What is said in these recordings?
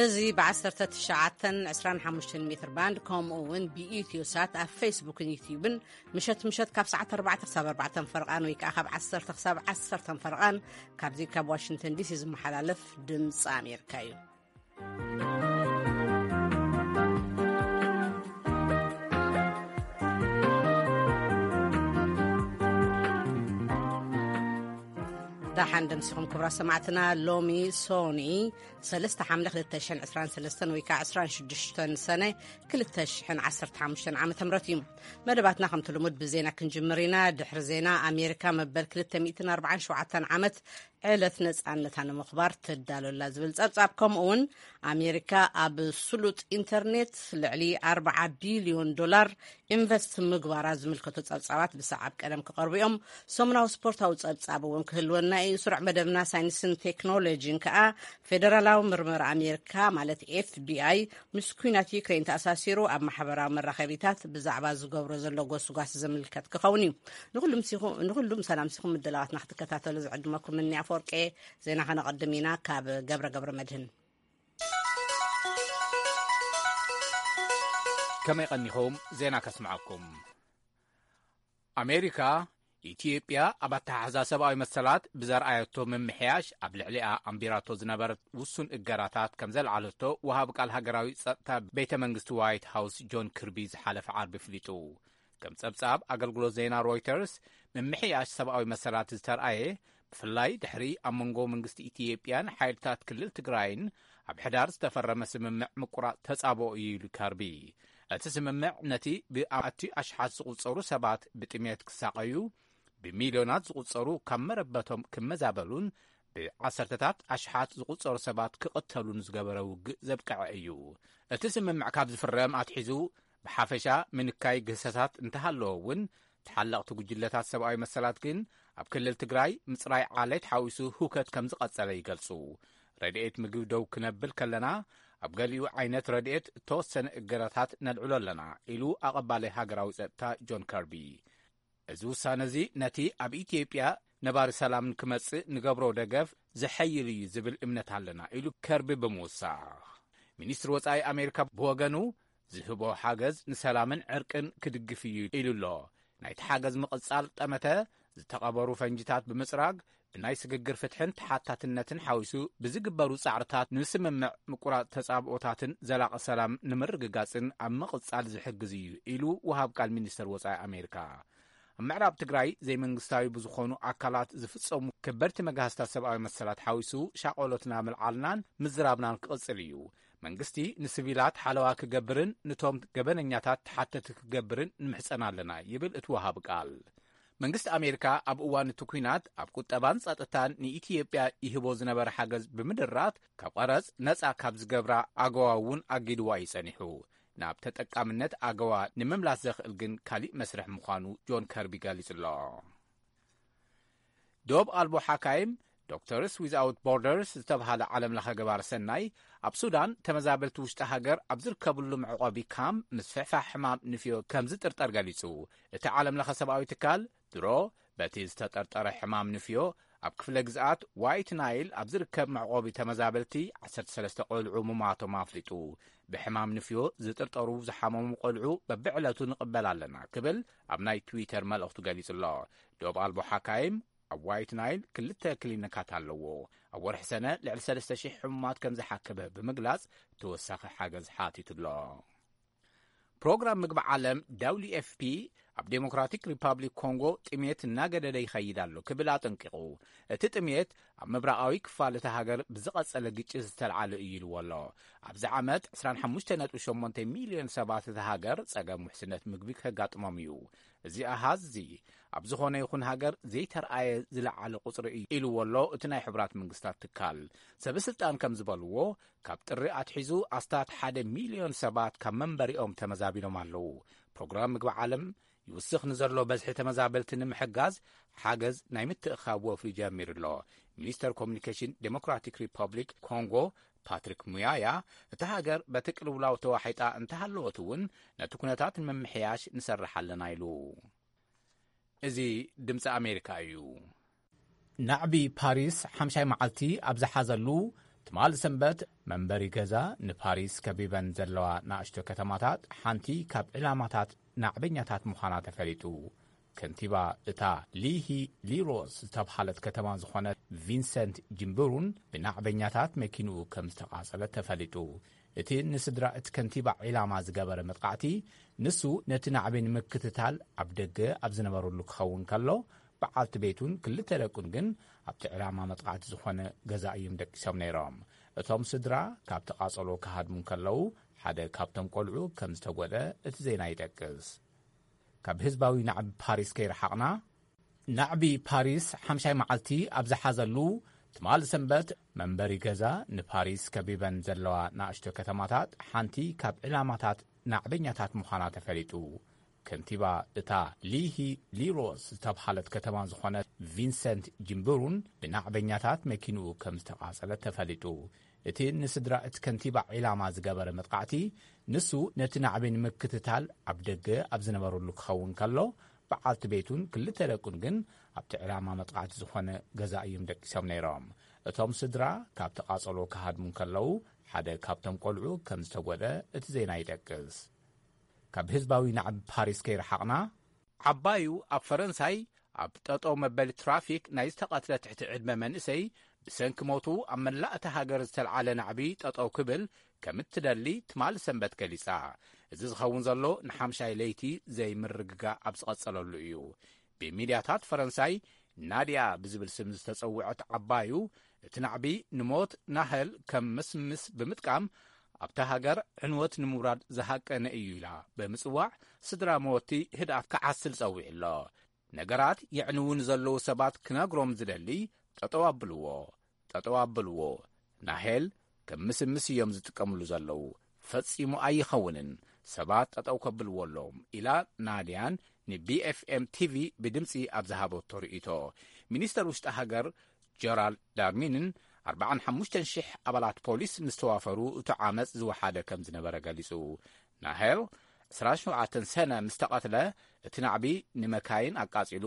እዚ ብ1925 ሜትር ባንድ፣ ከምኡ እውን ብኢትዮ ሳት ኣብ ፌስቡክን ዩትዩብን ምሸት ምሸት ካብ ሰዓት ኣርባዕተ ክሳብ ኣርባዕተ ፈርቓን ወይ ከዓ ካብ ዓሰርተ ክሳብ ዓሰርተ ፈርቓን ካብዚ ካብ ዋሽንግተን ዲሲ ዝመሓላለፍ ድምፂ ኣሜሪካ እዩ። ደሓን ደምሲኹም ክቡራት ሰማዕትና። ሎሚ ሶኒ ሰለስተ ሓምለ ክልተ ሽሕን ዕስራን ሰለስተን ወይ ከዓ ዕስራን ሽዱሽተን ሰነ ክልተ ሽሕን ዓሰርተ ሓሙሽተን ዓመተ ምህረት እዩ። መደባትና ከምቲ ልሙድ ብዜና ክንጅምር ኢና። ድሕሪ ዜና ኣሜሪካ መበል ክልተ ሚእትን ኣርባዓን ሸውዓተን ዓመት ዕለት ነጻነታ ንምኽባር ትዳሎ ኣላ ዝብል ጸብጻብ፣ ከምኡ እውን ኣሜሪካ ኣብ ስሉጥ ኢንተርኔት ልዕሊ ኣርባዓ ቢልዮን ዶላር ኢንቨስት ምግባራ ዝምልከቱ ጸብጻባት ብሰዓብ ቀደም ክቐርቡ እዮም። ሰሙናዊ ስፖርታዊ ጸብጻብ እውን ክህልወና እዩ። ስሩዕ መደብና ሳይንስን ቴክኖሎጂን ከኣ ፌደራላዊ ምርመራ ኣሜሪካ ማለት ኤፍቢኣይ ምስ ኲናት ዩክሬን ተኣሳሲሩ ኣብ ማሕበራዊ መራኸቢታት ብዛዕባ ዝገብሮ ዘሎ ጎስጓስ ዝምልከት ክኸውን እዩ። ንኹሉም ሲኹ-፣ ንኹሉም ሰላም ሲኹም ምድላዋትና ክትከታተሉ ዝዕድመኩም እኒ ኣፈወርቄ። ዜና ከነቐድም ኢና ካብ ገብረ ገብረ መድህን። ከመይ ቀኒኹም? ዜና ከስምዓኩም። ኣሜሪካ፣ ኢትዮጵያ ኣብ ኣተሓሕዛ ሰብኣዊ መሰላት ብዘርኣየቶ ምምሕያሽ ኣብ ልዕሊኣ ኣንቢራቶ ዝነበረት ውሱን እገዳታት ከም ዘልዓለቶ ወሃቢ ቃል ሃገራዊ ጸጥታ ቤተ መንግስቲ ዋይት ሃውስ ጆን ክርቢ ዝሓለፈ ዓርቢ ኣፍሊጡ። ከም ጸብጻብ ኣገልግሎት ዜና ሮይተርስ፣ ምምሕያሽ ሰብኣዊ መሰላት ዝተርኣየ ብፍላይ ድሕሪ ኣብ መንጎ መንግስቲ ኢትዮጵያን ሓይልታት ክልል ትግራይን ኣብ ሕዳር ዝተፈረመ ስምምዕ ምቁራጽ ተጻብኦ እዩ ኢሉ ከርቢ። እቲ ስምምዕ ነቲ ብኣማእቲ ኣሽሓት ዝቑጸሩ ሰባት ብጥሜት ክሳቐዩ፣ ብሚልዮናት ዝቑጸሩ ካብ መረበቶም ክመዛበሉን ብዓሰርተታት ኣሽሓት ዝቑጸሩ ሰባት ክቕተሉን ዝገበረ ውግእ ዘብቅዐ እዩ። እቲ ስምምዕ ካብ ዝፍረም ኣትሒዙ ብሓፈሻ ምንካይ ግህሰታት እንተሃለወ እውን፣ ተሓለቕቲ ጉጅለታት ሰብኣዊ መሰላት ግን ኣብ ክልል ትግራይ ምጽራይ ዓሌት ሓዊሱ ህውከት ከም ዝቐጸለ ይገልጹ። ረድኤት ምግቢ ደው ክነብል ከለና፣ ኣብ ገሊኡ ዓይነት ረድኤት እተወሰነ እገዳታት ነልዕሎ ኣለና ኢሉ ኣቐባላይ ሃገራዊ ጸጥታ ጆን ከርቢ። እዚ ውሳነ እዚ ነቲ ኣብ ኢትዮጵያ ነባሪ ሰላም ንክመጽእ ንገብሮ ደገፍ ዘሐይል እዩ ዝብል እምነት ኣለና ኢሉ ከርቢ ብምውሳኽ። ሚኒስትሪ ወጻኢ ኣሜሪካ ብወገኑ ዝህቦ ሓገዝ ንሰላምን ዕርቅን ክድግፍ እዩ ኢሉ ኣሎ። ናይቲ ሓገዝ ምቕጻል ጠመተ ዝተቐበሩ ፈንጂታት ብምጽራግ ብናይ ስግግር ፍትሕን ተሓታትነትን ሓዊሱ ብዝግበሩ ጻዕርታት ንስምምዕ ምቁራጽ ተጻብኦታትን ዘላቒ ሰላም ንምርግጋጽን ኣብ ምቕጻል ዝሕግዝ እዩ ኢሉ ወሃብ ቃል ሚኒስተር ወጻኢ ኣሜሪካ። ኣብ ምዕራብ ትግራይ ዘይመንግስታዊ ብዝኾኑ ኣካላት ዝፍጸሙ ከበድቲ መጋህስታት ሰብኣዊ መሰላት ሓዊሱ ሻቆሎትና ምልዓልናን ምዝራብናን ክቕጽል እዩ። መንግስቲ ንስቪላት ሓለዋ ክገብርን ንቶም ገበነኛታት ተሓተቲ ክገብርን ንምሕጸን ኣለና ይብል እቲ ወሃቢ ቃል። መንግስቲ ኣሜሪካ ኣብ እዋን እቲ ኲናት ኣብ ቁጠባን ጸጥታን ንኢትዮጵያ ይህቦ ዝነበረ ሓገዝ ብምድራት ካብ ቀረጽ ነጻ ካብ ዝገብራ ኣገዋ እውን ኣጊድዋ እዩ ጸኒሑ። ናብ ተጠቃምነት ኣገዋ ንምምላስ ዘኽእል ግን ካሊእ መስርሕ ምዃኑ ጆን ከርቢ ገሊጹ ኣሎ። ዶብ ኣልቦ ሓካይም ዶክተርስ ዊዝኣውት ቦርደርስ ዝተብሃለ ዓለም ለኸ ገባር ሰናይ ኣብ ሱዳን ተመዛበልቲ ውሽጢ ሃገር ኣብ ዝርከብሉ መዕቆቢ ካምፕ ምስፍሕፋሕ ሕማም ንፍዮ ከም ዝጥርጠር ገሊጹ። እቲ ዓለም ለኸ ሰብኣዊ ትካል ድሮ በቲ ዝተጠርጠረ ሕማም ንፍዮ ኣብ ክፍለ ግዝኣት ዋይት ናይል ኣብ ዝርከብ መዕቆቢ ተመዛበልቲ ዓሰርተ ሰለስተ ቆልዑ ምማቶም ኣፍሊጡ። ብሕማም ንፍዮ ዝጥርጠሩ ዝሓመሙ ቆልዑ በብዕለቱ ንቕበል ኣለና ክብል ኣብ ናይ ትዊተር መልእኽቱ ገሊጹ ኣሎ። ዶብ ኣልቦ ሓካይም ኣብ ዋይት ናይል ክልተ ክሊኒካት ኣለዎ። ኣብ ወርሒ ሰነ ልዕሊ ሰለስተ ሽሕ ሕሙማት ከም ዝሓከበ ብምግላጽ ተወሳኺ ሓገዝ ሓቲቱ ኣሎ። ፕሮግራም ምግቢ ዓለም ደብሊው ኤፍ ፒ ኣብ ዴሞክራቲክ ሪፓብሊክ ኮንጎ ጥሜት እናገደደ ይኸይድ ኣሎ ክብል ኣጠንቂቑ። እቲ ጥሜት ኣብ ምብራቓዊ ክፋል እታ ሃገር ብዝቐጸለ ግጭት ዝተልዓለ እዩ ኢልዎ ኣሎ። ኣብዚ ዓመት ዕስራን ሓሙሽተ ነጥቢ ሸሞንተ ሚልዮን ሰባት እታ ሃገር ጸገም ውሕስነት ምግቢ ከጋጥሞም እዩ። እዚ ኣሃዝ እዚ ኣብ ዝኾነ ይኹን ሃገር ዘይተርኣየ ዝለዓለ ቁጽሪ እዩ ኢልዎ ኣሎ እቲ ናይ ሕቡራት መንግስታት ትካል። ሰበ ስልጣን ከም ዝበልዎ፣ ካብ ጥሪ ኣትሒዙ ኣስታት ሓደ ሚልዮን ሰባት ካብ መንበሪኦም ተመዛቢሎም ኣለዉ። ፕሮግራም ምግቢ ዓለም ይውስኽ ንዘሎ በዝሒ ተመዛበልቲ ንምሕጋዝ ሓገዝ ናይ ምትእኻብ ወፍሪ ጀሚሩ ኣሎ። ሚኒስተር ኮሚኒኬሽን ዴሞክራቲክ ሪፐብሊክ ኮንጎ ፓትሪክ ሙያያ፣ እታ ሃገር በቲ ቅልውላው ተዋሒጣ እንተሃለወት እውን ነቲ ኩነታት ንምምሕያሽ ንሰርሕ ኣለና ኢሉ። እዚ ድምፂ ኣሜሪካ እዩ። ናዕቢ ፓሪስ ሓምሻይ መዓልቲ ኣብ ዝሓዘሉ፣ ትማሊ ሰንበት መንበሪ ገዛ ንፓሪስ ከቢበን ዘለዋ ንኣሽቱ ከተማታት ሓንቲ ካብ ዕላማታት ናዕበኛታት ምዃና ተፈሊጡ። ከንቲባ እታ ሊሂ ሊሮስ ዝተብሃለት ከተማ ዝኾነት ቪንሰንት ጅምብሩን ብናዕበኛታት መኪንኡ ከም ዝተቓጸለ ተፈሊጡ። እቲ ንስድራ እቲ ከንቲባ ዒላማ ዝገበረ መጥቃዕቲ፣ ንሱ ነቲ ናዕቢ ንምክትታል ኣብ ደገ ኣብ ዝነበረሉ ክኸውን ከሎ፣ በዓልቲ ቤቱን ክልተ ደቁን ግን ኣብቲ ዕላማ መጥቃዕቲ ዝኾነ ገዛ እዮም ደቂሶም ነይሮም። እቶም ስድራ ካብቲ ቃጸሎ ክሃድሙ ከለዉ፣ ሓደ ካብቶም ቆልዑ ከም ዝተጎድኣ እቲ ዜና ይጠቅስ። ካብ ህዝባዊ ናዕቢ ፓሪስ ከይረሓቕና፣ ናዕቢ ፓሪስ ሓምሻይ መዓልቲ ኣብ ዝሓዘሉ ትማሊ ሰንበት፣ መንበሪ ገዛ ንፓሪስ ከቢበን ዘለዋ ንኣሽቱ ከተማታት ሓንቲ ካብ ዕላማታት ናዕበኛታት ምዃና ተፈሊጡ። ከንቲባ እታ ሊሂ ሊሮስ ዝተብሃለት ከተማ ዝኾነት ቪንሰንት ጅምብሩን ብናዕበኛታት መኪንኡ ከም ዝተቓጸለ ተፈሊጡ። እቲ ንስድራ እቲ ከንቲባ ዒላማ ዝገበረ መጥቃዕቲ፣ ንሱ ነቲ ናዕቢ ንምክትታል ኣብ ደገ ኣብ ዝነበረሉ ክኸውን ከሎ፣ በዓልቲ ቤቱን ክልተ ደቁን ግን ኣብቲ ዕላማ መጥቃዕቲ ዝኾነ ገዛ እዮም ደቂሶም ነይሮም። እቶም ስድራ ካብቲ ቃጸሎ ክሃድሙ ከለዉ፣ ሓደ ካብቶም ቆልዑ ከም ዝተጎድኣ እቲ ዜና ይጠቅስ። ካብ ህዝባዊ ናዕቢ ፓሪስ ከይረሓቕና፣ ዓባዩ ኣብ ፈረንሳይ ኣብ ጠጠው መበሊ ትራፊክ ናይ ዝተቐትለ ትሕቲ ዕድመ መንእሰይ ብሰንኪ ሞቱ ኣብ መላእ እታ ሃገር ዝተልዓለ ናዕቢ ጠጠው ክብል ከም እትደሊ ትማሊ ሰንበት ገሊጻ። እዚ ዝኸውን ዘሎ ንሓምሻይ ለይቲ ዘይምርግጋእ ኣብ ዝቐጸለሉ እዩ። ብሚድያታት ፈረንሳይ ናድያ ብዝብል ስም ዝተጸውዐት ዓባዩ፣ እቲ ናዕቢ ንሞት ናህል ከም ምስምስ ብምጥቃም፣ ኣብታ ሃገር ዕንወት ንምውራድ ዝሃቀነ እዩ ኢላ ብምጽዋዕ፣ ስድራ መወቲ ህድኣት ክዓስል ጸዊዑ ኣሎ። ነገራት የዕንዉ ንዘለዉ ሰባት ክነግሮም ዝደሊ፣ ጠጠው ኣብልዎ፣ ጠጠው ኣብልዎ። ናሄል ከም ምስምስ እዮም ዝጥቀምሉ ዘለዉ። ፈጺሙ ኣይኸውንን። ሰባት ጠጠው ከብልዎ ኣለዎም፣ ኢላ ናድያን ንቢኤፍኤም ቲቪ ብድምጺ ኣብ ዝሃበቶ ርእይቶ። ሚኒስተር ውሽጢ ሃገር ጀራልድ ዳርሚንን ኣርባዓን ሓሙሽተን ሽሕ ኣባላት ፖሊስ ምስ ተዋፈሩ፣ እቲ ዓመጽ ዝወሓደ ከም ዝነበረ ገሊጹ። ናሄል ዕስራን ሸውዓተን ሰነ ምስ ተቐትለ፣ እቲ ናዕቢ ንመካይን ኣቃጺሉ፣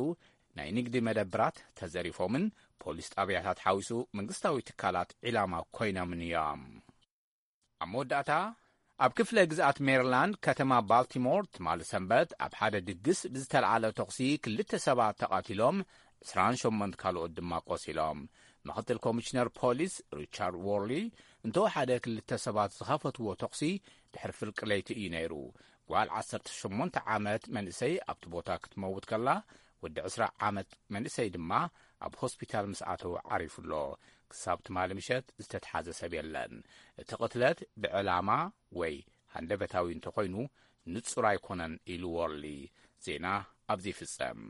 ናይ ንግዲ መደብራት ተዘሪፎምን ፖሊስ ጣብያታት ሓዊሱ መንግስታዊ ትካላት ዒላማ ኮይኖምን እዮም። ኣብ መወዳእታ፣ ኣብ ክፍለ ግዝኣት ሜሪላንድ ከተማ ባልቲሞር ትማሊ ሰንበት ኣብ ሓደ ድግስ ብዝተልዓለ ተኹሲ ክልተ ሰባት ተቐቲሎም፣ ዕስራን ሸሞንተ ካልኦት ድማ ቆሲሎም። ምኽትል ኮሚሽነር ፖሊስ ሪቻርድ ዎርሊ፣ እንተወሓደ ክልተ ሰባት ዝኸፈትዎ ተኹሲ ድሕሪ ፍርቂ ለይቲ እዩ ነይሩ። ጓል ዓሰርተ ሸሞንተ ዓመት መንእሰይ ኣብቲ ቦታ ክትመውት ከላ፣ ወዲ ዕስራ ዓመት መንእሰይ ድማ ኣብ ሆስፒታል ምስ ኣተወ ዓሪፉ ኣሎ። ክሳብ ትማሊ ምሸት ዝተትሓዘ ሰብ የለን። እቲ ቅትለት ብዕላማ ወይ ሃንደበታዊ እንተኾይኑ ንጹር ኣይኮነን ኢሉ ዎርሊ። ዜና ኣብዚ ይፍጸም።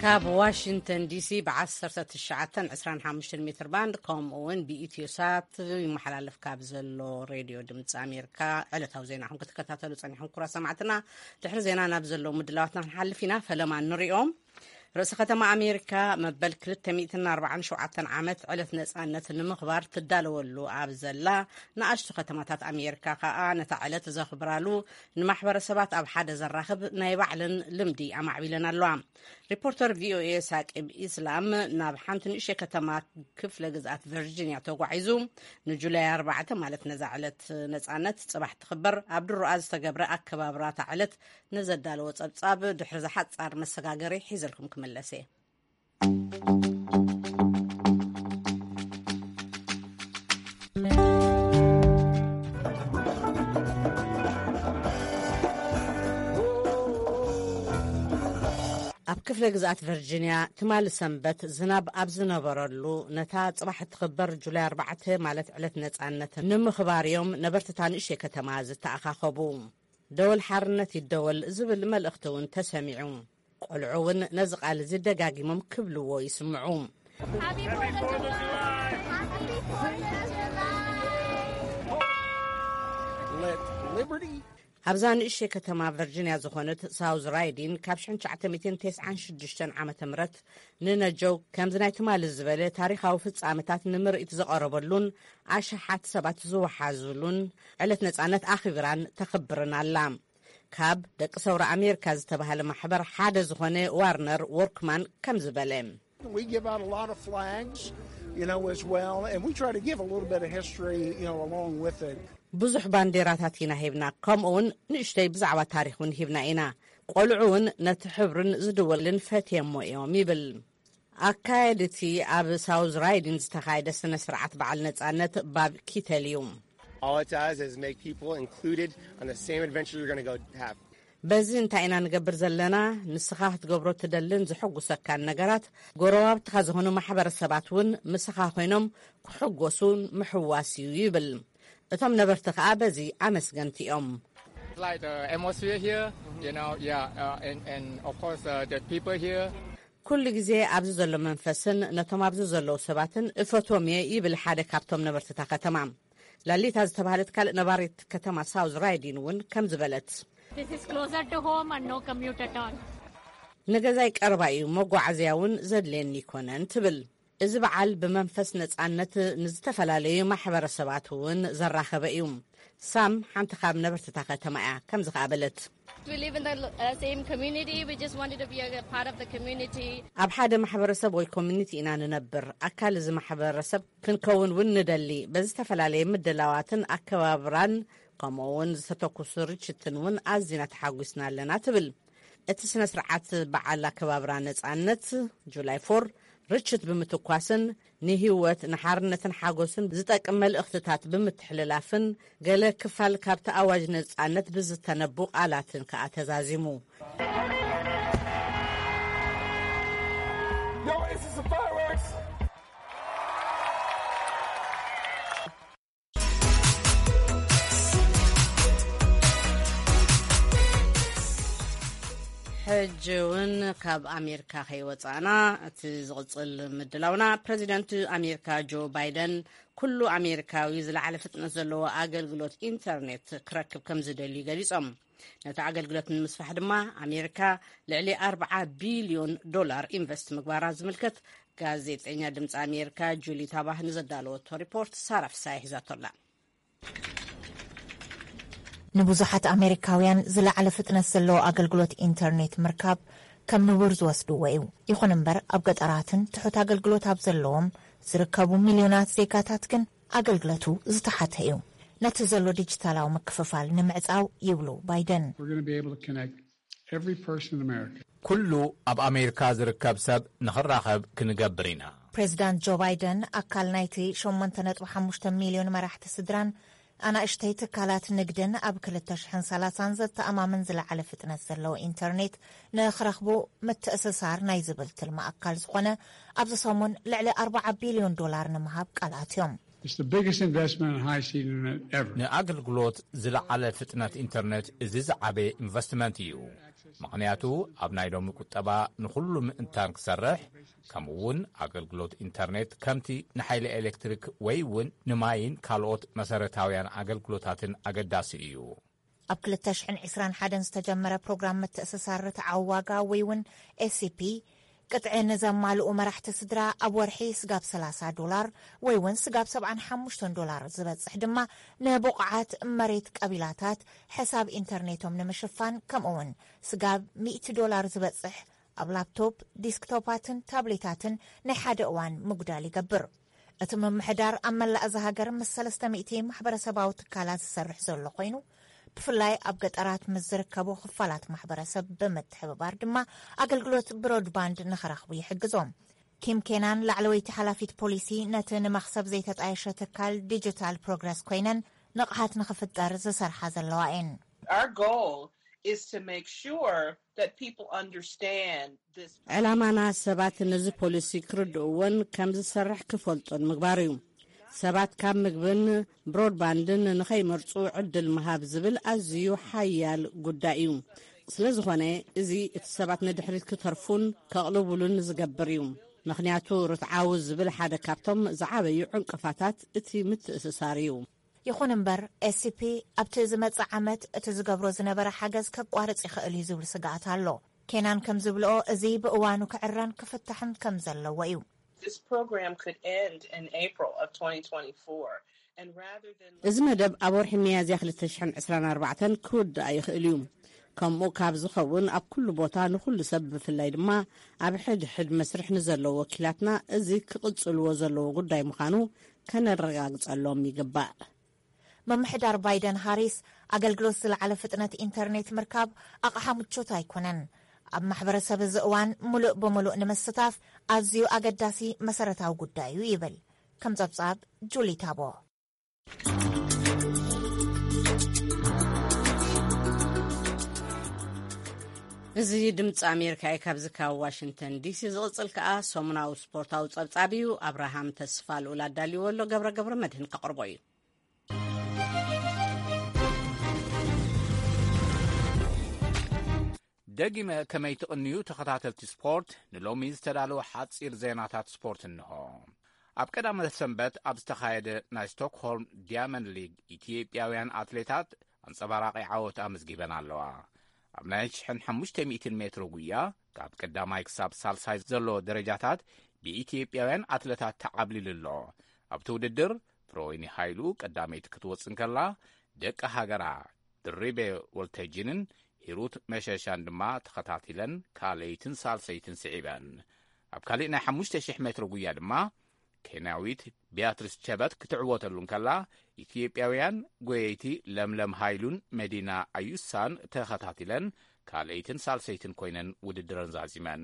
ካብ ዋሽንግተን ዲሲ ብ ዓሰርተ ትሽዓተን ዕስራን ሓሙሽተን ሜትር ባንድ፣ ከምኡ እውን ብኢትዮ ሳት ይመሓላለፍ ካብ ዘሎ ሬድዮ ድምፂ ኣሜሪካ ዕለታዊ ዜናኹም ክትከታተሉ ጸኒሕኩም፣ ክቡራት ሰማዕትና። ድሕሪ ዜና ናብ ዘለዉ ምድላዋትና ክንሓልፍ ኢና። ፈለማ ንሪኦም። ርእሰ ከተማ ኣሜሪካ መበል ክልተ ሚእትን ኣርባዓን ሸውዓተን ዓመት ዕለት ነጻነት ንምኽባር ትዳለወሉ ኣብ ዘላ ንኣሽቱ ከተማታት ኣሜሪካ ከኣ ነታ ዕለት ዘኽብራሉ ንማሕበረሰባት ኣብ ሓደ ዘራኽብ ናይ ባዕለን ልምዲ ኣማዕቢለን ኣለዋ። ሪፖርተር ቪኦኤ ሳቂብ ኢስላም ናብ ሓንቲ ንእሽተይ ከተማ ክፍለ ግዝኣት ቨርጂንያ ተጓዒዙ፣ ንጁላይ ኣርባዕተ ማለት ነዛ ዕለት ነጻነት ጽባሕ ትኽበር ኣብ ድሮኣ ዝተገብረ ኣከባብራ እታ ዕለት ንዘዳለዎ ጸብጻብ ድሕሪ ዝሓጻር መሰጋገሪ ሒዘልኩም ክምለስ እየ። ኣብ ክፍለ ግዝኣት ቨርጂንያ ትማሊ ሰንበት ዝናብ ኣብ ዝነበረሉ፣ ነታ ጽባሕ እትኽበር ጁላይ ኣርባዕተ ማለት ዕለት ነጻነት ንምኽባር እዮም ነበርቲ እታ ንእሽተይ ከተማ ዝተኣኻኸቡ። ደወል ሓርነት ይደወል ዝብል መልእኽቲ እውን ተሰሚዑ። ቆልዑ እውን ነዚ ቃል እዚ ደጋጊሞም ክብልዎ ይስምዑ። ኣብዛ ንእሽተይ ከተማ ቨርጂንያ ዝኾነት ሳውዝ ራይዲን ካብ ሽሕን ትሽዓተ ሚእትን ተስዓን ሽዱሽተን ዓመተ ምህረት ንነጀው ከምዚ ናይ ትማሊ ዝበለ ታሪኻዊ ፍጻመታት ንምርኢት ዝቐረበሉን ኣሽሓት ሰባት ዝወሓዙሉን ዕለት ነጻነት ኣኽቢራን ተኽብርን ኣላ። ካብ ደቂ ሰውራ ኣሜሪካ ዝተባህለ ማሕበር ሓደ ዝኾነ ዋርነር ወርክማን ከምዚ በለ። We give out a lot of flags, you know, as well, and we try to give a little bit of history, you know, along with it. ብዙሕ ባንዴራታት ኢና ሂብና፣ ከምኡ እውን ንእሽተይ ብዛዕባ ታሪኽ እውን ሂብና ኢና። ቆልዑ እውን ነቲ ሕብርን ዝድወልን ፈትየሞ እዮም ይብል። ኣካየድቲ ኣብ ሳውዝ ራይዲን ዝተኻየደ ስነ ስርዓት በዓል ነጻነት ባብ ኪተል እዩ። All it does is make people included on the same adventure you're going to go have. በዚ እንታይ ኢና ንገብር ዘለና? ንስኻ ክትገብሮ ትደልን ዝሕጉሰካን ነገራት ጎረባብትኻ ዝኾኑ ማሕበረሰባት እውን ምስኻ ኮይኖም ክሕጎሱን ምሕዋስ እዩ ይብል። እቶም ነበርቲ ከኣ በዚ ኣመስገንቲ እዮም። Like the atmosphere here, you know, yeah, uh, and, and of course uh, the people here. ኩሉ ግዜ ኣብዚ ዘሎ መንፈስን ነቶም ኣብዚ ዘለዉ ሰባትን እፈትዎም እየ ይብል ሓደ ካብቶም ነበርቲ እታ ከተማ። ላሊታ ዝተባህለት ካልእ ነባሪት ከተማ ሳውዝ ራይዲን እውን ከምዚ በለት። This is closer to home and no commute at all. ንገዛይ ቀረባ እዩ፣ መጓዓዝያ እውን ዘድልየኒ ይኮነን ትብል። እዚ በዓል ብመንፈስ ነጻነት ንዝተፈላለዩ ማሕበረሰባት እውን ዘራኸበ እዩ። ሳም ሓንቲ ካብ ነበርቲ እታ ከተማ እያ፣ ከምዚ ከኣ በለት። We live in the uh, same community. We just wanted to be a part of the community. ኣብ ሓደ ማሕበረሰብ ወይ ኮሚኒቲ ኢና ንነብር። ኣካል እዚ ማሕበረሰብ ክንከውን እውን ንደሊ። በዚ ዝተፈላለየ ምድላዋትን ኣከባብራን ከምኡ እውን ዝተተኩሱ ርችትን እውን ኣዚና ተሓጒስና ኣለና ትብል። እቲ ስነ ስርዓት በዓል ኣከባብራ ነጻነት ጁላይ ፎር ርችት ብምትኳስን ንህይወት ንሓርነትን ሓጎስን ዝጠቅም መልእኽትታት ብምትሕልላፍን ገለ ክፋል ካብቲ ኣዋጅ ነጻነት ብዝተነቡ ቃላትን ከኣ ተዛዚሙ። ሕጂ እውን ካብ ኣሜሪካ ከይወፃእና እቲ ዝቕፅል ምድላውና፣ ፕረዚደንት ኣሜሪካ ጆ ባይደን ኩሉ ኣሜሪካዊ ዝለዓለ ፍጥነት ዘለዎ ኣገልግሎት ኢንተርኔት ክረክብ ከም ዝደልዩ ገሊፆም። ነቲ ኣገልግሎት ንምስፋሕ ድማ ኣሜሪካ ልዕሊ ኣርብዓ ቢልዮን ዶላር ኢንቨስት ምግባራ ዝምልከት ጋዜጠኛ ድምፂ ኣሜሪካ ጁሊ ታባህ ንዘዳለወቶ ሪፖርት ሳራ ፍሳይ ሒዛቶላ። ንብዙሓት ኣሜሪካውያን ዝለዓለ ፍጥነት ዘለዎ ኣገልግሎት ኢንተርኔት ምርካብ ከም ንቡር ዝወስድዎ እዩ። ይኹን እምበር ኣብ ገጠራትን ትሑት ኣገልግሎት ኣብ ዘለዎም ዝርከቡ ሚልዮናት ዜጋታት ግን ኣገልግሎቱ ዝተሓተ እዩ። ነቲ ዘሎ ዲጂታላዊ ምክፍፋል ንምዕጻው ይብሉ ባይደን። We're going to be able to connect every person in America. ኩሉ ኣብ ኣሜሪካ ዝርከብ ሰብ ንኽራኸብ ክንገብር ኢና። ፕሬዚዳንት ጆ ባይደን ኣካል ናይቲ ሸሞንተ ነጥቢ ሓሙሽተ ሚልዮን መራሕቲ ስድራን ኣናእሽተይ ትካላት ንግድን ኣብ ክልተ ሽሕን ሰላሳን ዘተኣማምን ዝለዓለ ፍጥነት ዘለዎ ኢንተርኔት ንኽረኽቡ ምትእስሳር ናይ ዝብል ትልሚ ኣካል ዝኾነ ኣብዚ ሰሙን ልዕሊ ኣርብዓ ቢልዮን ዶላር ንምሃብ ቃል ኣትዮም። It's the biggest investment in high speed internet ever. ንኣገልግሎት ዝለዓለ ፍጥነት ኢንተርኔት እዚ ዝዓበየ ኢንቨስትመንት እዩ። ምኽንያቱ ኣብ ናይ ሎሚ ቁጠባ ንኹሉ ምእንታን ክሰርሕ፣ ከምኡ እውን ኣገልግሎት ኢንተርኔት ከምቲ ንሓይሊ ኤሌክትሪክ ወይ እውን ንማይን ካልኦት መሰረታውያን ኣገልግሎታትን ኣገዳሲ እዩ። ኣብ ክልተ ሽሕን ዕስራን ሓደን ዝተጀመረ ፕሮግራም ምትእስሳር ርትዓዊ ዋጋ ወይ እውን ኤስሲፒ ቅጥዒ ንዘማልኡ መራሕቲ ስድራ ኣብ ወርሒ ስጋብ ሰላሳ ዶላር ወይ እውን ስጋብ ሰብዓን ሓሙሽተን ዶላር ዝበጽሕ ድማ ንብቑዓት መሬት ቀቢላታት ሕሳብ ኢንተርኔቶም ንምሽፋን ከምኡ እውን ስጋብ ሚእቲ ዶላር ዝበጽሕ ኣብ ላፕቶፕ ዲስክቶፓትን ታብሌታትን ናይ ሓደ እዋን ምጉዳል ይገብር። እቲ ምምሕዳር ኣብ መላእ እዛ ሃገር ምስ ሰለስተ ሚእቲ ማሕበረሰባዊ ትካላት ዝሰርሕ ዘሎ ኮይኑ ብፍላይ ኣብ ገጠራት ምስ ዝርከቡ ክፋላት ማሕበረሰብ ብምትሕብባር ድማ ኣገልግሎት ብሮድባንድ ንኽረኽቡ ይሕግዞም። ኪም ኬናን ላዕለወይቲ ሓላፊት ፖሊሲ ነቲ ንመኽሰብ ዘይተጣየሸ ትካል ዲጂታል ፕሮግረስ ኮይነን ንቕሓት ንኽፍጠር ዝሰርሓ ዘለዋ እየን። Our goal is to make sure that people understand this. ዕላማና ሰባት ነዚ ፖሊሲ ክርድእዎን ከም ዝሰርሕ ክፈልጡን ምግባር እዩ። ሰባት ካብ ምግብን ብሮድባንድን ንኸይመርጹ ዕድል ምሃብ ዝብል ኣዝዩ ሓያል ጉዳይ እዩ። ስለ ዝኾነ እዚ እቲ ሰባት ንድሕሪት ክተርፉን ከቕልቡሉን ዝገብር እዩ። ምኽንያቱ ርትዓዊ ዝብል ሓደ ካብቶም ዝዓበዩ ዕንቅፋታት እቲ ምትእስሳር እዩ። ይኹን እምበር ኤስሲፒ ኣብቲ ዝመጽእ ዓመት እቲ ዝገብሮ ዝነበረ ሓገዝ ከቋርጽ ይኽእል እዩ ዝብል ስግኣት ኣሎ። ኬናን ከም ዝብልኦ እዚ ብእዋኑ ክዕረን ክፍታሕን ከም ዘለዎ እዩ። This program could end in April of twenty twenty-four. And rather than እዚ መደብ ኣብ ወርሒ ሚያዝያ ክልተ ሽሕን ዕስራን ኣርባዕተን ክውዳእ ይኽእል እዩ። ከምኡ ካብ ዝኸውን ኣብ ኩሉ ቦታ ንኹሉ ሰብ ብፍላይ ድማ ኣብ ሕድሕድ መስርሕ ንዘለዉ ወኪላትና እዚ ክቕጽልዎ ዘለዎ ጉዳይ ምዃኑ ከነረጋግጸሎም ይግባእ። ምምሕዳር ባይደን ሃሪስ ኣገልግሎት ዝለዓለ ፍጥነት ኢንተርኔት ምርካብ ኣቕሓ ምቾት ኣይኮነን። ኣብ ማሕበረሰብ እዚ እዋን ምሉእ ብምሉእ ንምስታፍ ኣዝዩ ኣገዳሲ መሰረታዊ ጉዳይ እዩ ይብል። ከም ጸብጻብ ጁሊ ታቦ። እዚ ድምፂ ኣሜሪካ እዩ። ካብዚ ካብ ዋሽንግተን ዲሲ ዝቕፅል ከኣ ሰሙናዊ ስፖርታዊ ጸብጻብ እዩ። ኣብርሃም ተስፋ ልኡል ኣዳልዎ ኣሎ። ገብረ ገብረ መድህን ከቕርቦ እዩ። ደጊመ ከመይ ትቕንዩ ተኸታተልቲ ስፖርት፣ ንሎሚ ዝተዳለወ ሓጺር ዜናታት ስፖርት እንሆ። ኣብ ቀዳመ ሰንበት ኣብ ዝተኻየደ ናይ ስቶክሆልም ዲያመንድ ሊግ፣ ኢትዮጵያውያን ኣትሌታት ኣንጸባራቒ ዓወት ኣመዝጊበን ኣለዋ። ኣብ ናይ ሽሕን ሓሙሽተ ሚእትን ሜትሮ ጉያ፣ ካብ ቀዳማይ ክሳብ ሳልሳይ ዘሎ ደረጃታት ብኢትዮጵያውያን ኣትለታት ተዓብሊሉ ኣሎ። ኣብቲ ውድድር፣ ፍረወይኒ ሃይሉ ቀዳመይቲ ክትወጽእ እንከላ፣ ደቂ ሃገራ ድሪቤ ወልተጅንን ሂሩት መሸሻን ድማ ተኸታቲለን ካልኣይትን ሳልሰይትን ስዒበን። ኣብ ካሊእ ናይ ሓሙሽተ ሽሕ ሜትሮ ጉያ ድማ፣ ኬንያዊት ቢያትሪስ ቸበት ክትዕወተሉ እንከላ፣ ኢትዮጵያውያን ጎየይቲ ለምለም ሃይሉን መዲና ኣዩሳን ተኸታቲለን ካልኣይትን ሳልሰይትን ኮይነን ውድድረን ዛዚመን።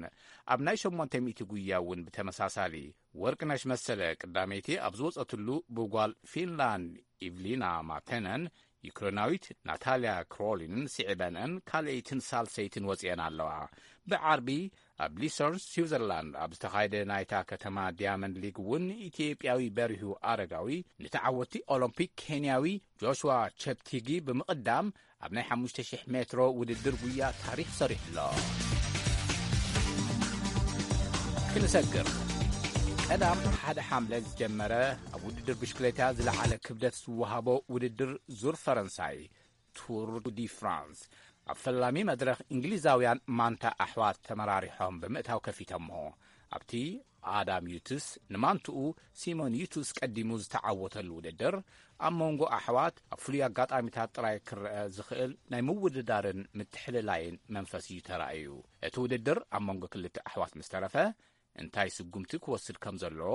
ኣብ ናይ ሸሞንተ ሚእቲ ጉያ እውን ብተመሳሳሊ፣ ወርቅነሽ መሰለ ቀዳመይቲ ኣብ ዝወጸትሉ፣ ብጓል ፊንላንድ ኢቭሊና ማተነን ዩክሬናዊት ናታልያ ክሮሊንን ስዒበንአን ካልኣይትን ሳልሰይትን ወጺአን ኣለዋ። ብዓርቢ ኣብ ሊሰርን ስዊዘርላንድ ኣብ ዝተኻየደ ናይታ ከተማ ዲያመንድ ሊግ እውን፣ ኢትዮጵያዊ በሪሁ ኣረጋዊ ንተዓወቲ ኦሎምፒክ ኬንያዊ ጆሽዋ ቸፕቲጊ ብምቕዳም፣ ኣብ ናይ ሓሙሽተ ሽሕ ሜትሮ ውድድር ጉያ ታሪኽ ሰሪሑ ኣሎ። ክንሰግር፣ ቀዳም ሓደ ሓምለ ዝጀመረ፣ ኣብ ውድድር ብሽክሌታ ዝለዓለ ክብደት ዝወሃቦ ውድድር ዙር ፈረንሳይ፣ ቱር ዲ ፍራንስ፣ ኣብ ፈላሚ መድረኽ እንግሊዛውያን ማንታ ኣሕዋት ተመራሪሖም ብምእታው ከፊተሞ። ኣብቲ ኣዳም ዩትስ ንማንትኡ ሲሞን ዩትስ ቀዲሙ ዝተዓወተሉ ውድድር፣ ኣብ መንጎ ኣሕዋት ኣብ ፍሉይ ኣጋጣሚታት ጥራይ ክረአ ዝኽእል ናይ ምውድዳርን ምትሕልላይን መንፈስ እዩ ተራእዩ። እቲ ውድድር ኣብ መንጎ ክልተ ኣሕዋት ምስ ተረፈ፣ እንታይ ስጉምቲ ክወስድ ከም ዘለዎ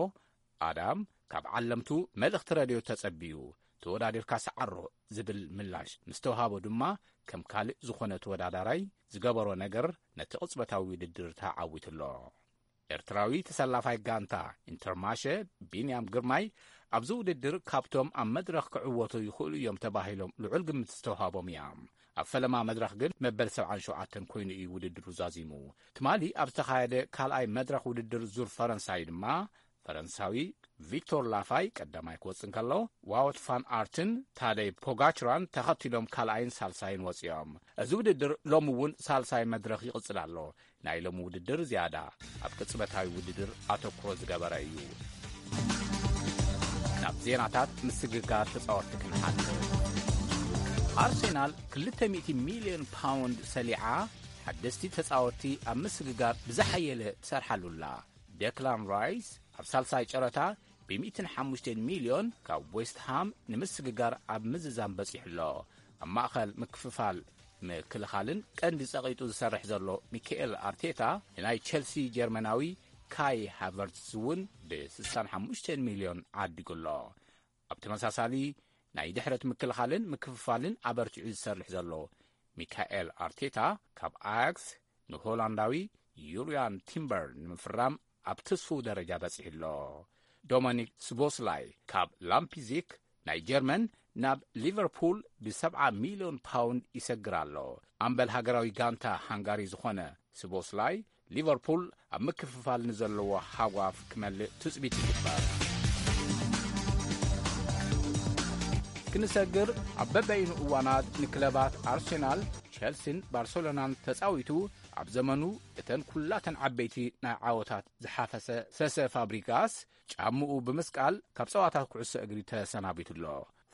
ኣዳም ካብ ዓለምቱ መልእኽቲ ረድዮ ተጸብዩ፣ "ተወዳዲርካ ሰዓሮ" ዝብል ምላሽ ምስ ተውሃቦ ድማ፣ ከም ካልእ ዝኾነ ተወዳዳራይ ዝገበሮ ነገር ነቲ ቅጽበታዊ ውድድር ተዓዊቱ ኣሎ። ኤርትራዊ ተሰላፋይ ጋንታ ኢንተርማሸ ቢንያም ግርማይ፣ ኣብዚ ውድድር ካብቶም ኣብ መድረኽ ክዕወቱ ይኽእሉ እዮም ተባሂሎም ልዑል ግምት ዝተውሃቦም እያ። ኣብ ፈለማ መድረኽ ግን መበል ሰብዓን ሸውዓተን ኮይኑ እዩ ውድድሩ ዛዚሙ። ትማሊ ኣብ ዝተኻየደ ካልኣይ መድረኽ ውድድር ዙር ፈረንሳይ ድማ፣ ፈረንሳዊ ቪክቶር ላፋይ ቀዳማይ ክወጽእ እንከሎ፣ ዋወት ፋን ኣርትን ታደይ ፖጋችራን ተኸቲሎም ካልኣይን ሳልሳይን ወጺኦም። እዚ ውድድር ሎሚ እውን ሳልሳይ መድረኽ ይቕጽል ኣሎ። ናይ ሎሚ ውድድር ዝያዳ ኣብ ቅጽበታዊ ውድድር ኣተኩሮ ዝገበረ እዩ። ናብ ዜናታት ምስግጋር ተጻወትቲ ክንሓልፍ። ኣርሴናል ክልተ ሚእቲ ሚልዮን ፓውንድ ሰሊዓ፣ ሓደስቲ ተጻወትቲ ኣብ ምስግጋር ብዝሓየለ ትሰርሓሉ ኣላ። ዴክላን ራይስ ኣብ ሳልሳይ ጨረታ ብ ሚእትን ሓሙሽተን ሚልዮን ካብ ዌስት ሃም ንምስግጋር ኣብ ምዝዛም በጺሑ ኣሎ። ኣብ ማእኸል ምክፍፋል ምክልኻልን ቀንዲ ጸቒጡ ዝሰርሕ ዘሎ ሚካኤል ኣርቴታ፣ ንናይ ቸልሲ ጀርመናዊ ካይ ሃቨርትዝ እውን ብ ስሳን ሓሙሽተን ሚልዮን ዓዲጉ ኣሎ። ኣብ ተመሳሳሊ ናይ ድሕረት ምክልኻልን ምክፍፋልን ኣበርቲዑ ዝሰርሕ ዘሎ ሚካኤል ኣርቴታ፣ ካብ ኣያክስ ንሆላንዳዊ ዩርያን ቲምበር ንምፍራም ኣብ ትስፉው ደረጃ በጺሑ ኣሎ። ዶሚኒክ ስቦስላይ ካብ ላምፒዚክ ናይ ጀርመን ናብ ሊቨርፑል ብሰብዓ ሚልዮን ፓውንድ ይሰግር ኣሎ። ኣምበል ሃገራዊ ጋንታ ሃንጋሪ ዝኾነ ስቦስላይ፣ ሊቨርፑል ኣብ ምክፍፋል ንዘለዎ ሃጓፍ ክመልእ ትጽቢት ይግበር። ክንሰግር፣ ኣብ በበይኑ እዋናት ንክለባት ኣርሴናል፣ ቸልሲን ባርሰሎናን ተጻዊቱ፣ ኣብ ዘመኑ እተን ኩላተን ዓበይቲ ናይ ዓወታት ዝሓፈሰ ሰሰ ፋብሪጋስ ጫምኡ ብምስቃል ካብ ጸዋታ ኩዕሶ እግሪ ተሰናቢቱ ኣሎ።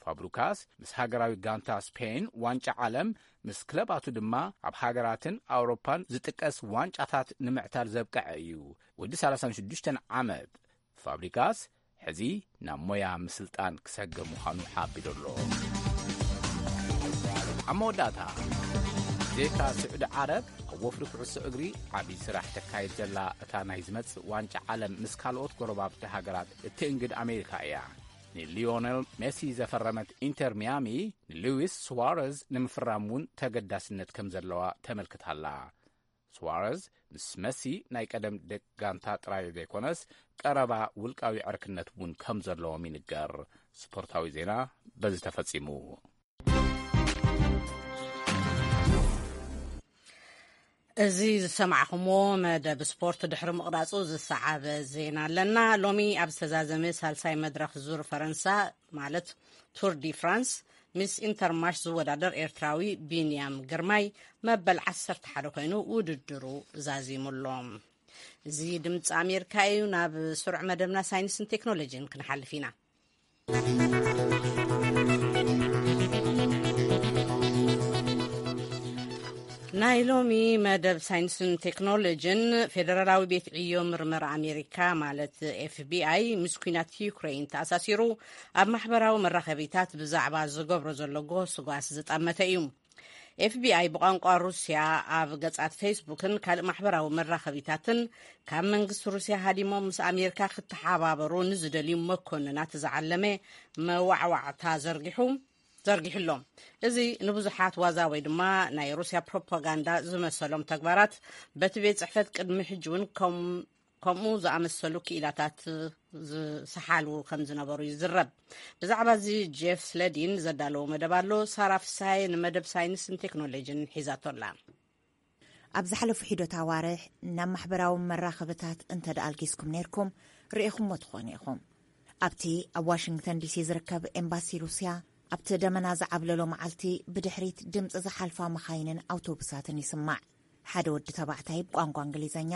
ፋብሪጋስ ምስ ሃገራዊ ጋንታ ስፔን ዋንጫ ዓለም፣ ምስ ክለባቱ ድማ ኣብ ሃገራትን ኣውሮፓን ዝጥቀስ ዋንጫታት ንምዕታር ዘብቀዐ እዩ። ወዲ ሰላሳን ሽዱሽተን ዓመት ፋብሪጋስ ሕዚ ናብ ሞያ ምስልጣን ክሰግር ምዃኑ ሓቢሩ ኣሎ። ኣብ መወዳእታ፣ ዜካ ስዑዲ ዓረብ ኣብ ወፍሪ ኩዕሶ እግሪ ዓብዪ ስራሕ ተካይድ ዘላ እታ ናይ ዝመጽእ ዋንጫ ዓለም ምስ ካልኦት ጎረባብቲ ሃገራት እትእንግድ ኣሜሪካ እያ። ንሊዮነል ሜሲ ዘፈረመት ኢንተር ሚያሚ ንሉዊስ ሱዋረዝ ንምፍራም እውን ተገዳስነት ከም ዘለዋ ተመልክታላ። ሱዋረዝ ምስ መሲ ናይ ቀደም ደቂ ጋንታ ጥራይ ዘይኮነስ ቀረባ ውልቃዊ ዕርክነት እውን ከም ዘለዎም ይንገር። ስፖርታዊ ዜና በዚ ተፈጺሙ። እዚ ዝሰማዕኹምዎ መደብ ስፖርት ድሕሪ ምቕራጹ ዝሰዓበ ዜና ኣለና። ሎሚ ኣብ ዝተዛዘመ ሳልሳይ መድረኽ ዙር ፈረንሳ ማለት ቱር ዲ ፍራንስ ምስ ኢንተርማሽ ዝወዳደር ኤርትራዊ ቢንያም ግርማይ መበል ዓሰርተ ሓደ ኮይኑ ውድድሩ ዛዚሙ ኣሎ። እዚ ድምፂ ኣሜሪካ እዩ። ናብ ስሩዕ መደብና ሳይንስን ቴክኖሎጂን ክንሓልፍ ኢና። ናይ ሎሚ መደብ ሳይንስን ቴክኖሎጂን፣ ፌደራላዊ ቤት ዕዮ ምርመራ ኣሜሪካ ማለት ኤፍቢኣይ ምስ ኲናት ዩክሬን ተኣሳሲሩ ኣብ ማሕበራዊ መራኸቢታት ብዛዕባ ዝገብሮ ዘሎ ጎስጓስ ዝጠመተ እዩ። ኤፍቢኣይ ብቋንቋ ሩስያ ኣብ ገጻት ፌስቡክን ካልእ ማሕበራዊ መራኸቢታትን ካብ መንግስቲ ሩስያ ሃዲሞም ምስ ኣሜሪካ ክተሓባበሩ ንዝደልዩ መኮንናት ዝዓለመ መዋዕዋዕታ ዘርጊሑ ዘርጊሕሎም። እዚ ንብዙሓት ዋዛ ወይ ድማ ናይ ሩስያ ፕሮፓጋንዳ ዝመሰሎም ተግባራት በቲ ቤት ጽሕፈት ቅድሚ ሕጂ እውን ከም ከምኡ ዝኣመሰሉ ክኢላታት ዝሰሓሉ ከም ዝነበሩ ይዝረብ። ብዛዕባ እዚ ጄፍ ስለዲን ዘዳለዎ መደብ ኣሎ። ሳራ ፍሳሐ ንመደብ ሳይንስን ቴክኖሎጂን ሒዛቶ ኣላ። ኣብ ዝሓለፉ ሒደት ኣዋርሕ ናብ ማሕበራዊ መራኸብታት እንተ ደኣ ኣልጊስኩም ነይርኩም፣ ርኢኹምዎ ትኾኑ ኢኹም። ኣብቲ ኣብ ዋሽንግተን ዲሲ ዝርከብ ኤምባሲ ሩስያ፣ ኣብቲ ደመና ዝዓብለሎ መዓልቲ ብድሕሪት ድምፂ ዝሓልፋ መኻይንን ኣውቶቡሳትን ይስማዕ። ሓደ ወዲ ተባዕታይ ብቋንቋ እንግሊዘኛ፣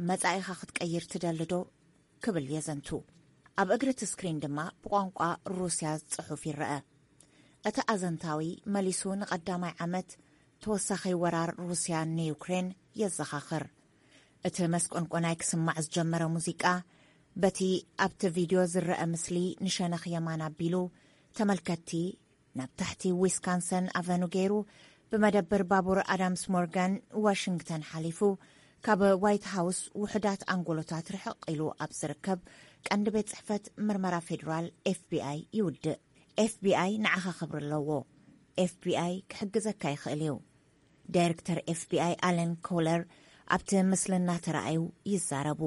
"መጻኢኻ ክትቀይር ትደሊ ዶ?" ክብል የዘንቱ። ኣብ እግሪ እቲ ስክሪን ድማ ብቋንቋ ሩስያ ጽሑፍ ይረአ። እቲ ኣዘንታዊ መሊሱ ንቐዳማይ ዓመት ተወሳኺ ወራር ሩስያ ንዩክሬን የዘኻኽር። እቲ መስቆንቆናይ ክስማዕ ዝጀመረ ሙዚቃ፣ በቲ ኣብቲ ቪድዮ ዝረአ ምስሊ ንሸነኽ የማን ኣቢሉ፣ ተመልከትቲ ናብ ታሕቲ ዊስካንሰን ኣቨኑ ገይሩ፣ ብመደብር ባቡር ኣዳምስ ሞርጋን ዋሽንግተን ሓሊፉ፣ ካብ ዋይት ሃውስ ውሑዳት ኣንጎሎታት ርሕቕ ኢሉ ኣብ ዝርከብ ቀንዲ ቤት ጽሕፈት ምርመራ ፌዴራል ኤፍቢኣይ ይውድእ። ኤፍቢኣይ ንዓኻ ክብሪ ኣለዎ። ኤፍቢኣይ ክሕግዘካ ይኽእል እዩ። ዳይሬክተር ኤፍቢኣይ ኣለን ኮለር ኣብቲ ምስልና ተራእዩ ይዛረቡ።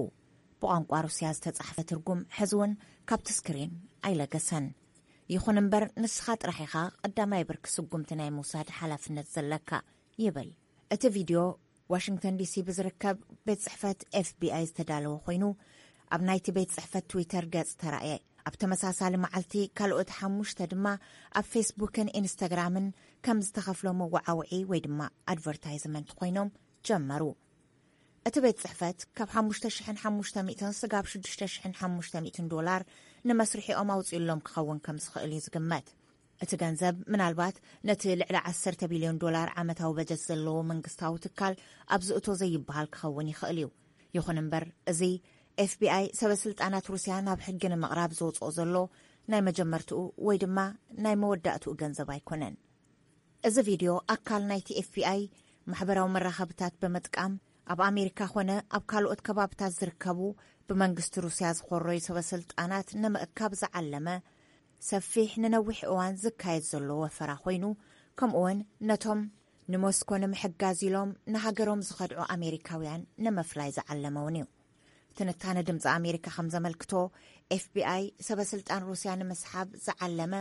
ብቋንቋ ሩስያ ዝተጻሕፈ ትርጉም ሕዚ እውን ካብቲ ስክሪን ኣይለገሰን። ይኹን እምበር፣ ንስኻ ጥራሕ ኢኻ ቀዳማይ ብርኪ ስጉምቲ ናይ ምውሳድ ሓላፍነት ዘለካ፣ ይብል። እቲ ቪድዮ ዋሽንግተን ዲሲ ብዝርከብ ቤት ጽሕፈት ኤፍቢኣይ ዝተዳለወ ኮይኑ፣ ኣብ ናይቲ ቤት ጽሕፈት ትዊተር ገጽ ተራእየ። ኣብ ተመሳሳሊ መዓልቲ፣ ካልኦት ሓሙሽተ ድማ ኣብ ፌስቡክን ኢንስታግራምን ከም ዝተኸፍሎ መወዓውዒ ወይ ድማ ኣድቨርታይዝመንት ኮይኖም ጀመሩ። እቲ ቤት ጽሕፈት ካብ ሓሙሽተ ሽሕን ሓሙሽተ ሚእትን ስጋብ ሽዱሽተ ሽሕን ሓሙሽተ ሚእትን ዶላር ንመስርሒኦም ኣውጺኡሎም ክኸውን ከም ዝኽእል እዩ ዝግመት። እቲ ገንዘብ ምናልባት ነቲ ልዕሊ ዓሰርተ ቢልዮን ዶላር ዓመታዊ በጀት ዘለዎ መንግስታዊ ትካል ኣብ ዝእቶ ዘይበሃል ክኸውን ይኽእል እዩ። ይኹን እምበር፣ እዚ ኤፍቢኣይ ሰበ ስልጣናት ሩስያ ናብ ሕጊ ንምቕራብ ዘውጽኦ ዘሎ ናይ መጀመርትኡ ወይ ድማ ናይ መወዳእትኡ ገንዘብ ኣይኮነን። እዚ ቪድዮ ኣካል ናይቲ ኤፍቢኣይ ማሕበራዊ መራኸብታት ብምጥቃም ኣብ ኣሜሪካ ኾነ ኣብ ካልኦት ከባብታት ዝርከቡ ብመንግስቲ ሩስያ ዝኾረዩ ሰበ ስልጣናት ንምእካብ ዝዓለመ ሰፊሕ ንነዊሕ እዋን ዝካየድ ዘሎ ወፈራ ኮይኑ፣ ከምኡውን ነቶም ንሞስኮ ንምሕጋዝ ኢሎም ንሃገሮም ዝኸድዑ ኣሜሪካውያን ንምፍላይ ዝዓለመ እውን እዩ። ትንታነ ድምፂ ኣሜሪካ ከም ዘመልክቶ፣ ኤፍቢኣይ ሰበ ስልጣን ሩስያ ንምስሓብ ዝዓለመ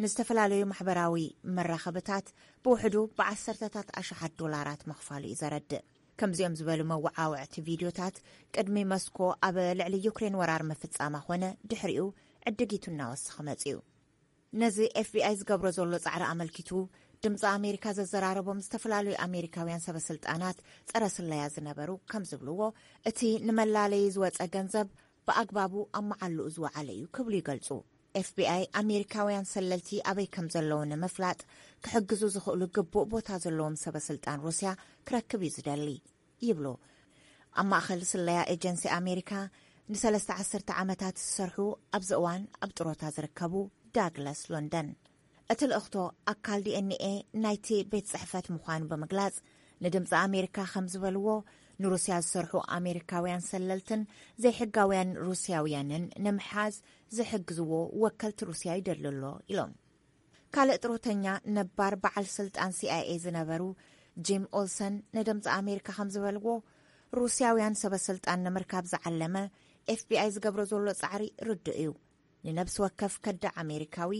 ንዝተፈላለዩ ማሕበራዊ መራኸብታት ብውሕዱ ብዓሰርተታት ኣሽሓት ዶላራት ምኽፋሉ እዩ ዘረድእ። ከምዚኦም ዝበሉ መወዓውዕቲ ቪድዮታት ቅድሚ ሞስኮ ኣብ ልዕሊ ዩክሬን ወራር ምፍጻማ ኾነ ድሕሪኡ ዕድጊቱ እናወሰኸ መጺኡ። ነዚ ኤፍቢኣይ ዝገብሮ ዘሎ ጻዕሪ ኣመልኪቱ ድምፂ ኣሜሪካ ዘዘራረቦም ዝተፈላለዩ ኣሜሪካውያን ሰበ ስልጣናት ጸረ ስለያ ዝነበሩ ከም ዝብልዎ፣ እቲ ንመላለዪ ዝወጸ ገንዘብ ብኣግባቡ ኣብ መዓልኡ ዝወዓለ እዩ ክብሉ ይገልጹ። ኤፍቢኣይ ኣሜሪካውያን ሰለልቲ ኣበይ ከም ዘለዉ ንምፍላጥ ክሕግዙ ዝኽእሉ ግቡእ ቦታ ዘለዎም ሰበ ስልጣን ሩስያ ክረክብ እዩ ዝደሊ ይብሉ። ኣብ ማእኸል ስለያ ኤጀንሲ ኣሜሪካ ንሰለስተ ዓሰርተ ዓመታት ዝሰርሑ፣ ኣብዚ እዋን ኣብ ጥሮታ ዝርከቡ ዳግላስ ሎንደን። እቲ ልእኽቶ ኣካል ዲ ኤን ኤ ናይቲ ቤት ጽሕፈት ምዃኑ ብምግላጽ፣ ንድምፂ ኣሜሪካ ከም ዝበልዎ፣ ንሩስያ ዝሰርሑ ኣሜሪካውያን ሰለልትን ዘይሕጋውያን ሩስያውያንን ንምሓዝ ዝሕግዝዎ ወከልቲ ሩስያ ይደሊ ኣሎ ኢሎም። ካልእ ጥሮተኛ ነባር በዓል ስልጣን ሲ ኣይ ኤ ዝነበሩ ጂም ኦልሰን ንድምፂ ኣሜሪካ ከም ዝበልዎ፣ ሩስያውያን ሰበ ስልጣን ንምርካብ ዝዓለመ ኤፍ ቢ ኣይ ዝገብሮ ዘሎ ጻዕሪ ርዱእ እዩ። ንነብሲ ወከፍ ከዳዕ ኣሜሪካዊ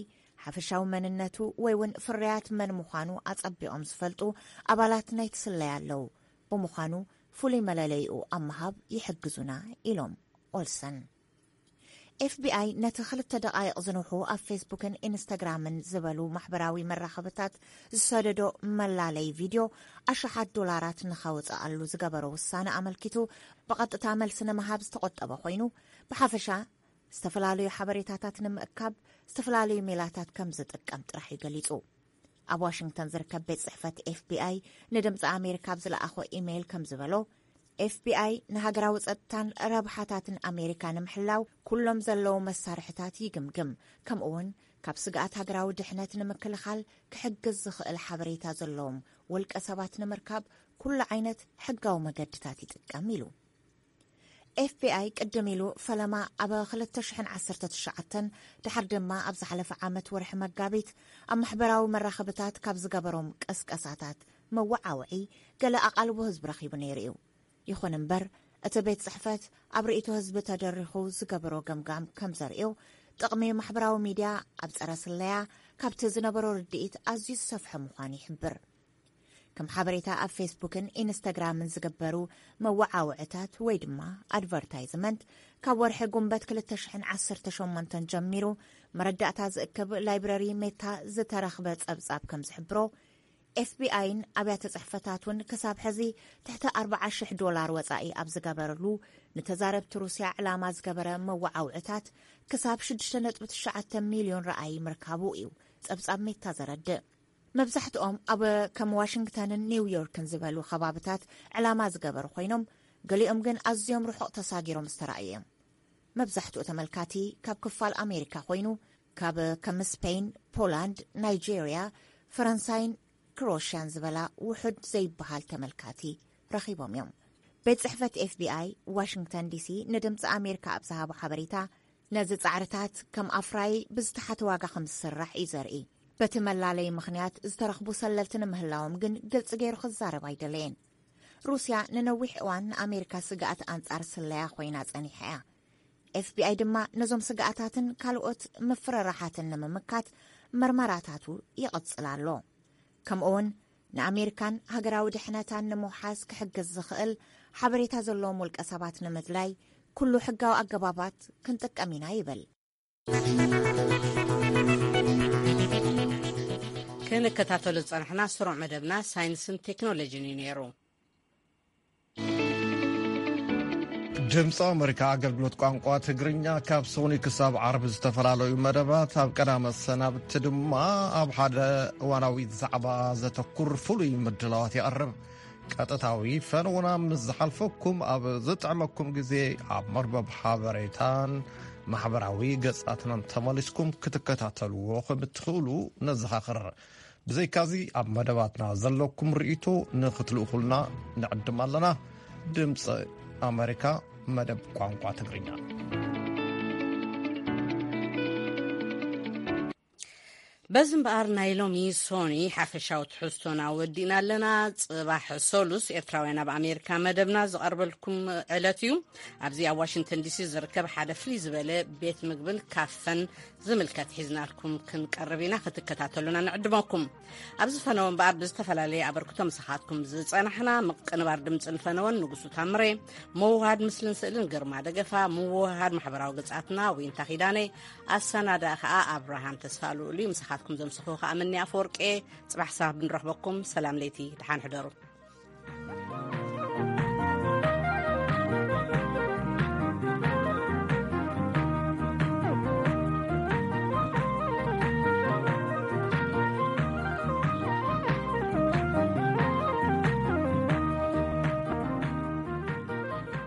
ሓፈሻዊ መንነቱ ወይ እውን ፍርያት መን ምዃኑ ኣጸቢቖም ዝፈልጡ ኣባላት ናይቲ ስለያ ኣለዉ። ብምዃኑ ፍሉይ መለለይኡ ኣብ ምሃብ ይሕግዙና ኢሎም ኦልሰን። ኤፍ ቢ ኣይ ነቲ ክልተ ደቓይቕ ዝንውሑ ኣብ ፌስቡክን ኢንስታግራምን ዝበሉ ማሕበራዊ መራኸብታት ዝሰደዶ መላለይ ቪድዮ ኣሽሓት ዶላራት ንኸውፅኣሉ ዝገበሮ ውሳነ ኣመልኪቱ ብቐጥታ መልሲ ንምሃብ ዝተቖጠበ ኮይኑ፣ ብሓፈሻ ዝተፈላለዩ ሓበሬታታት ንምእካብ ዝተፈላለዩ ሜላታት ከም ዝጥቀም ጥራሕ እዩ ገሊጹ። ኣብ ዋሽንግተን ዝርከብ ቤት ጽሕፈት ኤፍ ቢ ኣይ ንድምፂ ኣሜሪካ ኣብ ዝለኣኾ ኢሜይል ከም ዝበሎ፣ ኤፍ ቢ ኣይ ንሃገራዊ ጸጥታን ረብሓታትን ኣሜሪካ ንምሕላው ኩሎም ዘለዉ መሳርሕታት ይግምግም፣ ከምኡ እውን ካብ ስግኣት ሃገራዊ ድሕነት ንምክልኻል ክሕግዝ ዝኽእል ሓበሬታ ዘለዎም ውልቀ ሰባት ንምርካብ ኩሉ ዓይነት ሕጋዊ መገድታት ይጥቀም ኢሉ። ኤፍ ቢ ኣይ ቅድም ኢሉ ፈለማ ኣብ ክልተ ሽሕን ዓሰርተ ትሽዓተን፣ ድሓር ድማ ኣብ ዝሓለፈ ዓመት ወርሒ መጋቢት ኣብ ማሕበራዊ መራኸብታት ካብ ዝገበሮም ቀስቀሳታት መወዓውዒ ገለ ኣቓልቦ ህዝቢ ረኺቡ ነይሩ እዩ። ይኹን እምበር፣ እቲ ቤት ጽሕፈት ኣብ ርእይቶ ህዝቢ ተደሪኹ ዝገበሮ ገምጋም ከም ዘርእዮ፣ ጥቕሚ ማሕበራዊ ሚድያ ኣብ ጸረ ስለያ ካብቲ ዝነበሮ ርድኢት ኣዝዩ ዝሰፍሐ ምዃኑ ይሕብር። ከም ሓበሬታ ኣብ ፌስቡክን ኢንስታግራምን ዝግበሩ መወዓውዕታት ወይ ድማ ኣድቨርታይዝመንት ካብ ወርሒ ጉንበት ክልተ ሽሕን ዓሰርተ ሸሞንተን ጀሚሩ መረዳእታ ዝእክብ ላይብረሪ ሜታ ዝተረኽበ ጸብጻብ ከም ዝሕብሮ፣ ኤፍ ቢ ኣይን ኣብያተ ጽሕፈታቱን ክሳብ ሕዚ ትሕቲ ኣርብዓ ሽሕ ዶላር ወጻኢ ኣብ ዝገበረሉ ንተዛረብቲ ሩስያ ዕላማ ዝገበረ መወዓውዕታት ክሳብ ሽዱሽተ ነጥቢ ትሽዓተ ሚልዮን ረኣይ ምርካቡ እዩ ጸብጻብ ሜታ ዘረድእ። መብዛሕትኦም ኣብ ከም ዋሽንግተንን ኒውዮርክን ዝበሉ ከባብታት ዕላማ ዝገበሩ ኮይኖም፣ ገሊኦም ግን ኣዝዮም ርሑቕ ተሳጊሮም ዝተራእዩ እዮም። መብዛሕትኡ ተመልካቲ ካብ ክፋል ኣሜሪካ ኮይኑ፣ ካብ ከም ስፔን፣ ፖላንድ፣ ናይጄርያ፣ ፈረንሳይን ክሮሽያን ዝበላ ውሑድ ዘይበሃል ተመልካቲ ረኺቦም እዮም። ቤት ጽሕፈት ኤፍ ቢ ኣይ ዋሽንግተን ዲ ሲ ንድምፂ ኣሜሪካ ኣብ ዝሃቦ ሓበሬታ፣ ነዚ ጻዕርታት ከም ኣፍራዪ ብዝተሓተ ዋጋ ከም ዝስራሕ እዩ ዘርኢ። በቲ መላለዪ ምኽንያት ዝተረኽቡ ሰለልቲ ንምህላዎም ግን ግልጺ ገይሩ ክዛረብ ኣይደለየን። ሩስያ ንነዊሕ እዋን ንኣሜሪካ ስግኣት ኣንጻር ስለያ ኮይና ጸኒሓ እያ። ኤፍ ቢ ኣይ ድማ ነዞም ስግኣታትን ካልኦት ምፍርራሓትን ንምምካት መርመራታቱ ይቕጽል ኣሎ። ከምኡውን ንኣሜሪካን ሃገራዊ ድሕነታን ንምውሓስ ክሕግዝ ዝኽእል ሓበሬታ ዘለዎም ውልቀ ሰባት ንምድላይ ኩሉ ሕጋዊ ኣገባባት ክንጥቀም ኢና ይብል። ክንከታተሎ ዝጸናሕና ስሩዕ መደብና ሳይንስን ቴክኖሎጂን እዩ ነይሩ። ድምፂ ኣሜሪካ ኣገልግሎት ቋንቋ ትግርኛ ካብ ሰኑይ ክሳብ ዓርቢ ዝተፈላለዩ መደባት፣ ኣብ ቀዳመ ሰናብቲ ድማ ኣብ ሓደ እዋናዊ ዛዕባ ዘተኩር ፍሉይ ምድላዋት የቕርብ። ቀጥታዊ ፈነውና ምስ ዝሓልፈኩም ኣብ ዝጥዕመኩም ግዜ ኣብ መርበብ ሓበሬታን ማሕበራዊ ገጻትናን ተመሊስኩም ክትከታተልዎ ከም እትኽእሉ ነዘኻኽር። ብዘይካዚ ኣብ መደባትና ዘለኩም ርእይቶ ንኽትልእኹልና ንዕድም ኣለና። ድምፂ ኣሜሪካ መደብ ቋንቋ ትግርኛ። በዚ እምበኣር ናይ ሎሚ ሶኒ ሓፈሻዊ ትሕዝቶና ወዲእና ኣለና። ጽባሕ ሰሉስ ኤርትራውያን ኣብ ኣሜሪካ መደብና ዝቐርበልኩም ዕለት እዩ። ኣብዚ ኣብ ዋሽንግተን ዲሲ ዝርከብ ሓደ ፍልይ ዝበለ ቤት ምግብን ካፈን ዝምልከት ሒዝናልኩም ክንቀርብ ኢና። ክትከታተሉና ንዕድመኩም። ኣብዚ ፈነወ እምበኣር ብዝተፈላለየ ኣበርክቶ ምሳኻትኩም ዝጸናሕና ምቅንባር ድምፅን ፈነወን ንጉሱ ታምሬ፣ ምውሃድ ምስልን ስእልን ግርማ ደገፋ፣ ምውሃድ ማሕበራዊ ገጻትና ዊንታ ኪዳነ፣ ኣሰናዳ ከኣ ኣብርሃም ተስፋ ልኡል እዩ። ምሳኻትኩም ዘምስኹ ከኣ መኒ ኣፈወርቄ። ጽባሕ ሳብ ንረኽበኩም። ሰላም ለይቲ፣ ደሓን ሕደሩ።